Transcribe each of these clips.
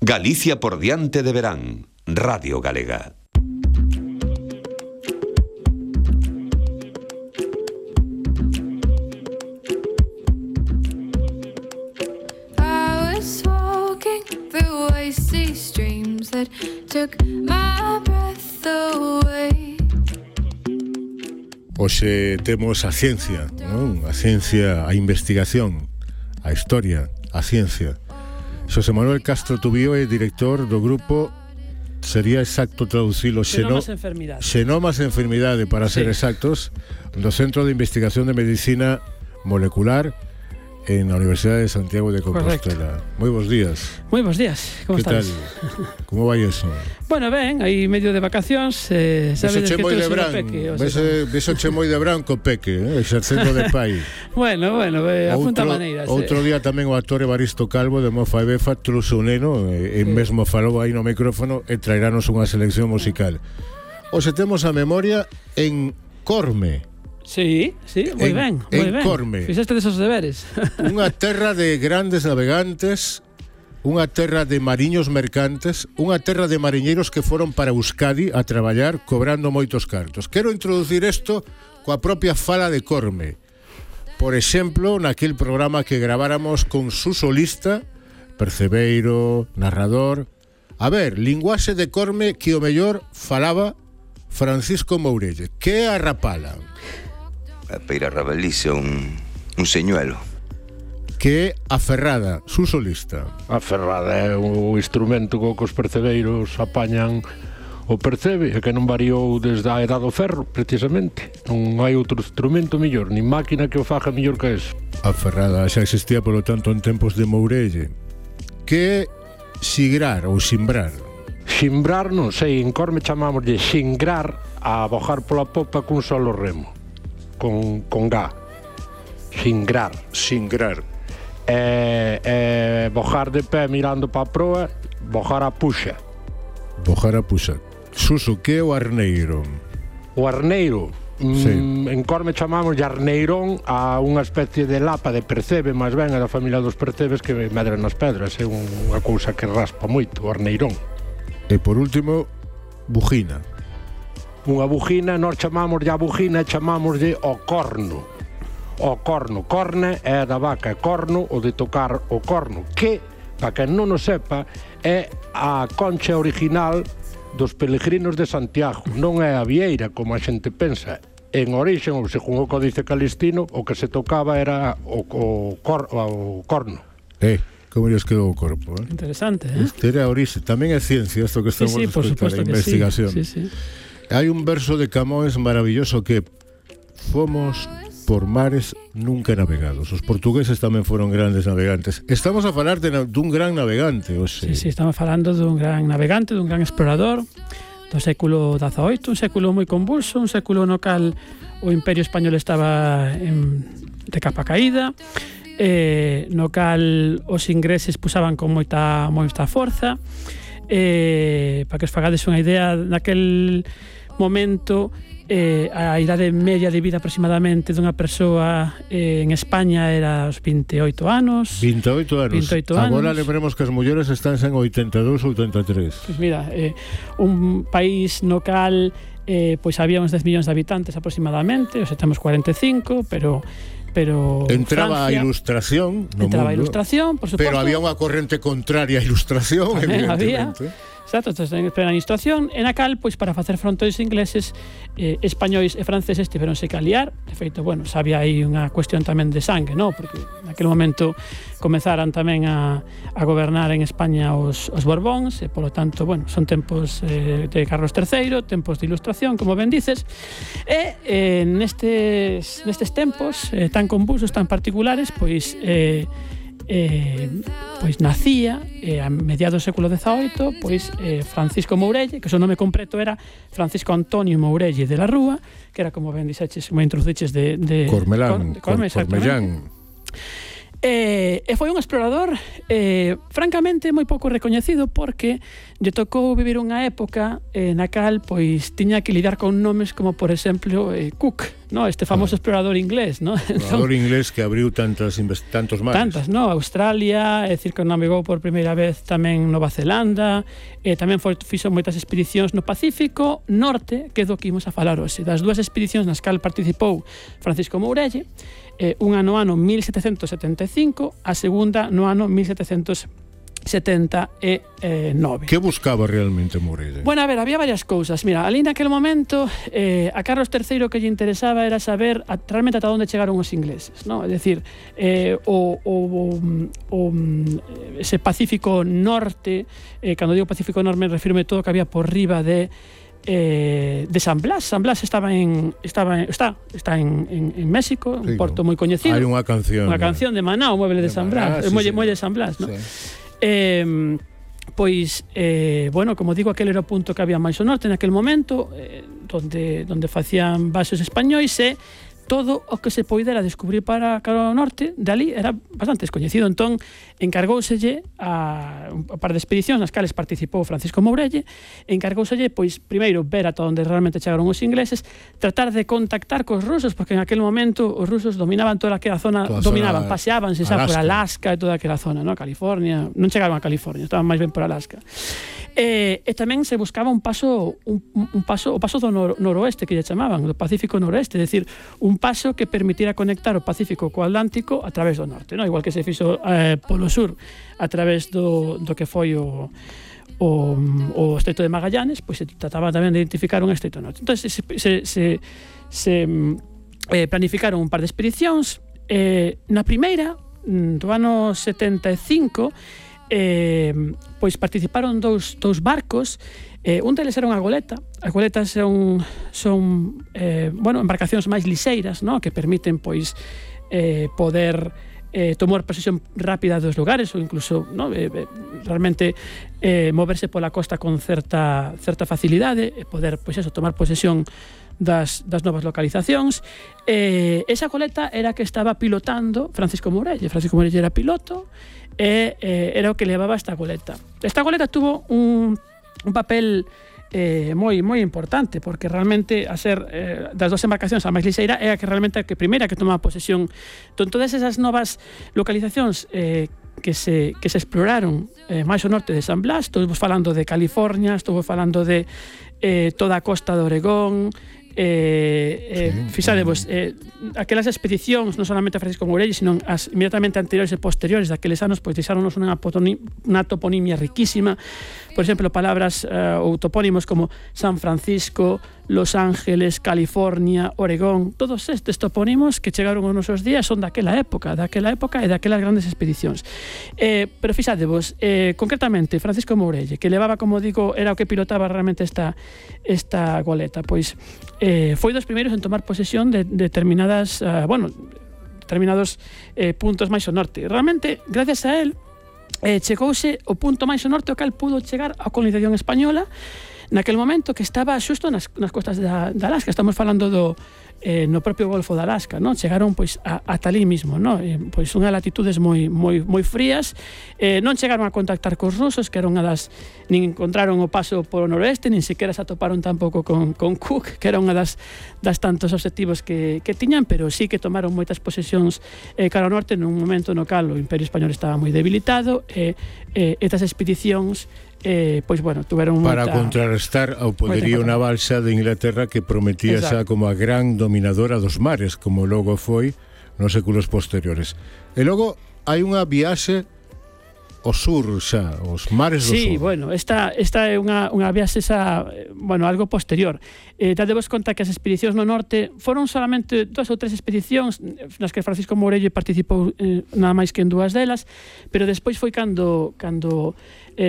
Galicia por diante de verán. Radio Galega. Hoxe temos a ciencia, non? A ciencia, a investigación, a historia, a ciencia. Xosé Manuel Castro Tubío é director do grupo, sería exacto traducilo, Xenomas Enfermidade, para ser exactos, do Centro de Investigación de Medicina Molecular en la Universidad de Santiago de Compostela. Moi bons días. Moi bons días, como estás? Que tal? Como vai eso? Bueno, ben, aí medio de vacacións, sabedes que todo será peque. Besoche moi de branco peque, exercendo de pai. Bueno, apunta maneiras. Outro día tamén o actor Evaristo Calvo de Mofa e Befa trouxe un neno e mesmo falou aí no micrófono e traeranos unha selección musical. Hoxe temos a memoria en Corme. Sí, moi ben. Corme. Fixeste desos deberes. Unha terra de grandes navegantes, unha terra de mariños mercantes, unha terra de mariñeiros que foron para Euskadi a traballar cobrando moitos cartos. Quero introducir isto coa propia fala de Corme. Por exemplo, naquel programa que graváramos con su solista, percebeiro, narrador. A ver, linguaxe de Corme que o mellor falaba Francisco Mourelle. Que é a rapala? Para rabelice un señuelo. Que é a ferrada, su solista. A ferrada é o instrumento co que os percebeiros apañan o percebe, e que non variou desde a edad do ferro, precisamente. Non hai outro instrumento mellor, nin máquina que o faga mellor que eso. A ferrada xa existía, polo tanto, en tempos de Mourelle. Que é sigrar ou simbrar? Simbrar, non sei, en Corme chamámoslle xingrar a bojar pola popa cun solo remo. Con ga. Xingrar. Bojar de pé mirando para a proa, bojar a puxa. Suso, que é o arneiro? O arneiro? Sí. En Corme chamamos de arneirón a unha especie de lapa de percebe, máis ben é da familia dos percebes que medran nas pedras. É unha cousa que raspa moito, o arneirón. E por último, bujina. Unha bujina, nós chamámoslle a bujina, chamámoslle o corno. O corno, corne é da vaca, corno o de tocar o corno, que, para quen non o sepa, é a concha original dos peregrinos de Santiago, non é a vieira como a xente pensa. En orixe, ou según o Códice Calistino, o que se tocaba era o corno. Como lles quedou o corpo, Interesante, Este era a orixe, tamén é ciencia, isto que estamos a escutar, a investigación. Sí. Hai un verso de Camões maravilloso que fomos por mares nunca navegados. Os portugueses tamén foron grandes navegantes. Estamos a falar dun gran navegante, Sí, estamos falando dun gran navegante, dun gran explorador do século XVIII, un século moi convulso, un século no cal o Imperio Español estaba de capa caída, no cal os ingleses pusaban con moita forza. Para que os fagades unha idea, naquel momento a idade media de vida aproximadamente dunha persoa en España era os 28 anos. 28 anos. Agora lembremos que as mulleres están en 82 ou 83. Pois mira, un país no cal pois había uns 10 millóns de habitantes aproximadamente, hoxe temos 45, pero entraba Francia, a ilustración no mundo, a ilustración, por suposto, pero había unha corrente contraria á ilustración, evidentemente. Exacto, en plena ilustración, en a cal, pois para facer fronte aos ingleses, españois e franceses tiveronse que aliar. De feito, bueno, sabía aí unha cuestión tamén de sangue, non? Porque naquele momento comezaran tamén a gobernar en España os Borbóns, e polo tanto, bueno, son tempos de Carlos III, tempos de ilustración, como ben dices, e nestes tempos tan convulsos, tan particulares, pois nacía a mediados do século XVIII Francisco Mourelle, que o seu nome completo era Francisco Antonio Mourelle de la Rúa, que era, como ben dixeches, como introduciches de Cormellán. E foi un explorador francamente moi pouco recoñecido porque lle tocou vivir unha época na cal pois tiña que lidiar con nomes como por exemplo Cook, no? Este famoso explorador inglés, no? Explorador inglés que abriu tantos mares. Tantas, no? Australia, é dicir que navegou por primeira vez tamén Nova Zelanda, tamén fixo moitas expedicións no Pacífico Norte, que é do que imos a falar hoxe. Das dúas expedicións nas cal participou Francisco Mourelle, unha no ano 1775, a segunda no ano 1779. Que buscaba realmente Mourelle? Bueno, a ver, había varias cousas. Mira, ali naquel momento a Carlos III que lle interesaba era saber realmente ata onde chegaron os ingleses, ¿no? É dicir, ese Pacífico Norte, cando digo Pacífico Norte me refirme todo que había por riba de San Blas. San Blas está en México, un porto moi coñecido. Hai unha canción de Maná, o mueble de San Blas, o muelle de San Blas, ¿no? Bueno, como digo, aquel era o punto que había máis ao norte naquel momento, donde facían bases españois e todo o que se poidera descubrir para cara ao norte, dali era bastante descoñecido. Entón, encargóuselle a un par de expedicións nas cales participou Francisco Mourelle, encargóuselle, pois, primeiro, ver ata onde realmente chegaron os ingleses, tratar de contactar cos rusos, porque en aquel momento os rusos dominaban toda aquela zona, paseábanse xa por Alaska e toda aquela zona, ¿no? California, non chegaron a California, estaban máis ben por Alaska. E tamén se buscaba o paso do noroeste, que lle chamaban, do Pacífico Noroeste, é dicir, un paso que permitiera conectar o Pacífico co Atlántico a través do norte, ¿no? Igual que se fixo polo sur a través do que foi o Estreito de Magallanes, pois se trataba tamén de identificar un estreito norte. Entón se planificaron un par de expedicións. Na primeira, do ano 75, pois participaron dous barcos. Un deles era unha goleta. As goletas son embarcacións máis lixeiras, no? Que permiten pois poder tomar posesión rápida dos lugares ou incluso, no? Realmente moverse pola costa con certa facilidade e poder pois eso, tomar posesión das novas localizacións. Esa goleta era que estaba pilotando Francisco Mourelle. Francisco Mourelle era piloto e era o que levaba esta goleta. Esta goleta tuvo un papel moi importante, porque realmente a ser das dos embarcacións a máis lixeira é a que realmente a primeira que tomaba posesión. Entón, todas esas novas localizacións que se exploraron máis ao norte de San Blas, estou falando de California, estou falando de toda a costa de Oregón. Fixadevos, aquelas expedicións non solamente a Francisco Mourelle, sino as inmediatamente anteriores e posteriores daqueles anos, pois deixáronos unha toponimia riquísima. Por exemplo, palabras ou topónimos como San Francisco, Los Ángeles, California, Oregón, todos estes topónimos que chegaron aos nosos días son daquela época e daquelas grandes expedicións. Pero fixadevos, concretamente, Francisco Mourelle, que levaba, como digo, era o que pilotaba realmente esta goleta, pois foi dos primeiros en tomar posesión de determinados puntos máis ao norte. Realmente, gracias a él, chegouse o punto máis ao norte ao cal pudo chegar a colonización española naquel momento, que estaba xusto nas costas da Alaska. Estamos falando no propio Golfo de Alaska, ¿no? Chegaron pois ata ali mismo, ¿no? Pois unhas latitudes moi frías. Non chegaron a contactar cos rusos, que era unha das, nin encontraron o paso polo noroeste, nin sequera se atoparon tampouco con Cook, que era unha das tantos objetivos que tiñan, pero sí que tomaron moitas posesións cara ao norte nun momento no cal o Imperio Español estaba moi debilitado, e estas expedicións pois bueno, tuveron para contrarrestar ao poderío naval xa de Inglaterra, que prometía xa como a gran dominadora dos mares, como logo foi nos séculos posteriores. E logo hai unha viaxe ao sur xa, os mares do sur. Sí, bueno, esta é unha viaxe xa, bueno, algo posterior. Dadevos conta que as expedicións no norte foron solamente 2 ou 3 expedicións nas que Francisco Mourelle participou nada máis que en 2 delas, pero despois foi cando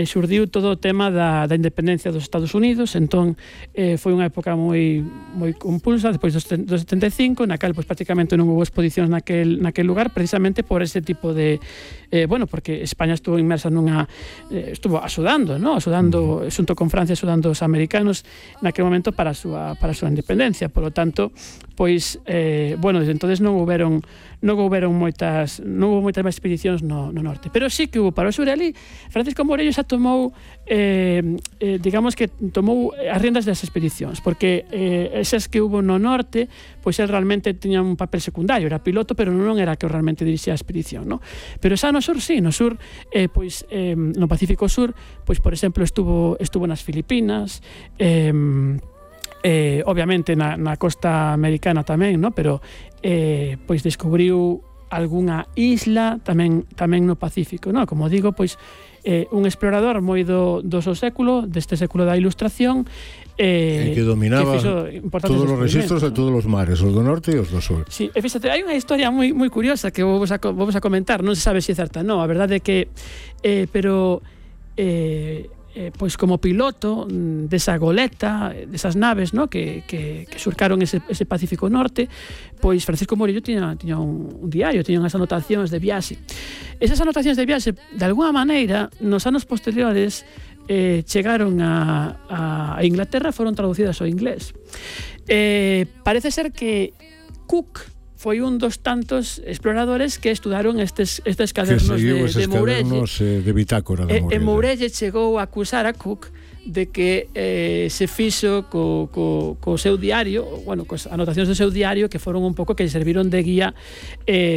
xurdiu todo o tema da independencia dos Estados Unidos. Entón foi unha época moi compulsa despois dos 75, na cal prácticamente non houve exposicións naquel lugar, precisamente por ese tipo de porque España estuvo inmersa estuvo axudando xunto con Francia, axudando os americanos naquele momento para a súa independencia. Por lo tanto, pois desde entonces non houve moitas máis expedicións no norte, pero sí que hubo para o sur. Ali Francisco Mourelle xa tomou digamos que tomou as riendas das expedicións, porque esas que hubo no norte, pois el realmente tiña un papel secundario, era piloto, pero non era que realmente dirixía a expedición, no? Pero xa no sur, sí, no sur no Pacífico Sur, pois por exemplo estuvo nas Filipinas, obviamente na costa americana tamén, no? Pero pois descubriu algunha isla tamén no Pacífico, no? Como digo, pois un explorador moi do seu século, deste século da Ilustración, que dominaba todos os registros de todos os mares, os do norte e os do sur. Sí, e fíxate, hai unha historia moi curiosa que vamos a comentar, non se sabe se é certa, non, a verdade é que pois como piloto desa goleta, desas naves, no, que surcaron ese Pacífico Norte, pois Francisco Mourelle tiña un diario, tiña unhas anotacións de viaxe. Esas anotacións de viaxe, de alguna maneira, nos anos posteriores chegaron a Inglaterra, foron traducidas ao inglés. Parece ser que Cook foi un dos tantos exploradores que estudaron estes cadernos de Mourelle, de bitácora de Mourelle. E Mourelle chegou a acusar a Cook de que se fixo co seu diario, cos anotacións do seu diario, que foron un pouco que serviron de guía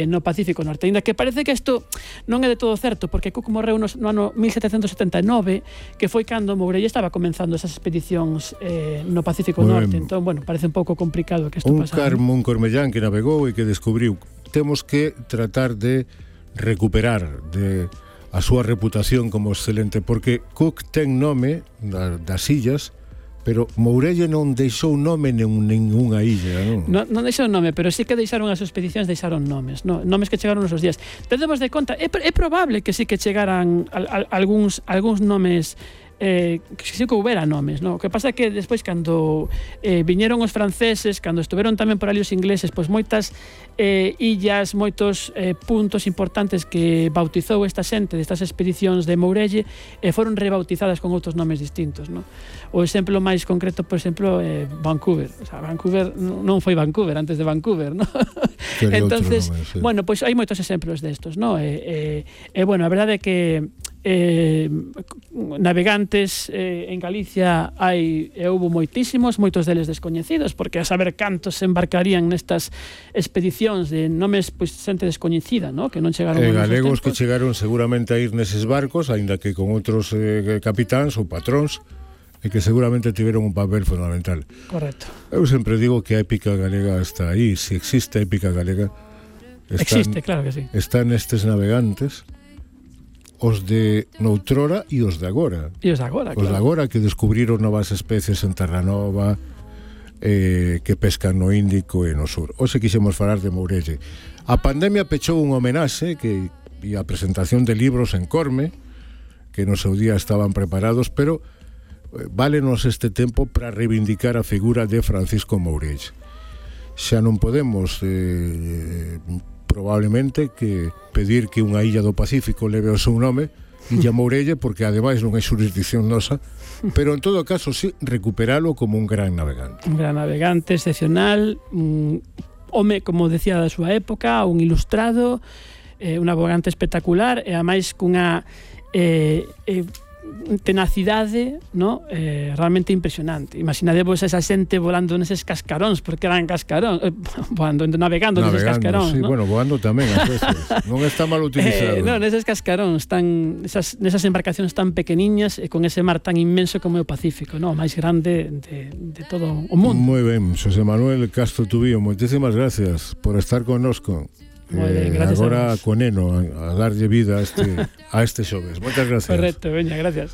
no Pacífico Norte. Ainda que parece que isto non é de todo certo, porque Cook morreu no ano 1779, que foi cando Mourelle estaba comenzando esas expedicións no Pacífico Norte. Entón, parece un pouco complicado que isto pasara. Un cormellán que navegou e que descubriu. Temos que tratar de recuperar a súa reputación como excelente, porque Cook ten nome das illas, pero Mourelle non deixou nome ninguna illa, non? Non deixou nome, pero sí que deixaron as expedicións, deixaron nomes, nomes que chegaron nos días. Tendemos de conta, é probable que sí que chegaran algúns nomes, que sí que houbera nomes, no? O que pasa é que despois cando viñeron os franceses, cando estuveron tamén por ali os ingleses, pois moitas illas, moitos puntos importantes que bautizou esta xente destas expedicións de Mourelle foron rebautizadas con outros nomes distintos, no? O exemplo máis concreto, por exemplo, Vancouver. O sea, Vancouver non foi Vancouver antes de Vancouver, no? Entonces, nome, sí. Pois hai moitos exemplos destos, no? A verdade é que navegantes en Galicia houbo moitos deles descoñecidos, porque a saber cantos se embarcarían nestas expedicións de nomes, pois, xente descoñecida, no? Que non chegaron a galegos que chegaron seguramente a ir neses barcos, aínda que con outros capitáns ou patróns, e que seguramente tiveron un papel fundamental. Correcto. Eu sempre digo que a épica galega está aí. Se existe a épica galega, existe, claro que sí. Están estes navegantes, os de noutrora e os de agora. E os de agora, claro. Os de agora que descubriron novas especies en Terranova, que pescan no Índico e no sur. Hoxe quixemos falar de Mourelle. A pandemia pechou un homenaxe e a presentación de libros en Corme, que no seu día estaban preparados, pero válenos este tempo para reivindicar a figura de Francisco Mourelle. Xa non podemos probablemente que pedir que unha illa do Pacífico leve o seu nome, Illa Mourelle, porque ademais non é xurisdicción nosa, pero en todo caso sí recuperalo como un gran navegante. Un gran navegante excepcional, un home, como decía, da súa época, un ilustrado, un navegante espectacular, e ademais cunha tenacidade, no? Realmente impresionante. Imaginadevos esa xente volando neses cascaróns, porque eran cascaróns, navegando neses cascaróns, sí, ¿no? Bueno, voando tamén ás veces. Non está mal utilizado. Neses cascaróns nesas embarcacións tan pequeniñas e con ese mar tan inmenso como é o Pacífico, no? O máis grande de todo o mundo. Moi ben, Xosé Manuel Castro Tubío, moitísimas gracias por estar connosco. Agora con Eno a darlle vida a este xoves. Moitas gracias. Correcto, veña, gracias.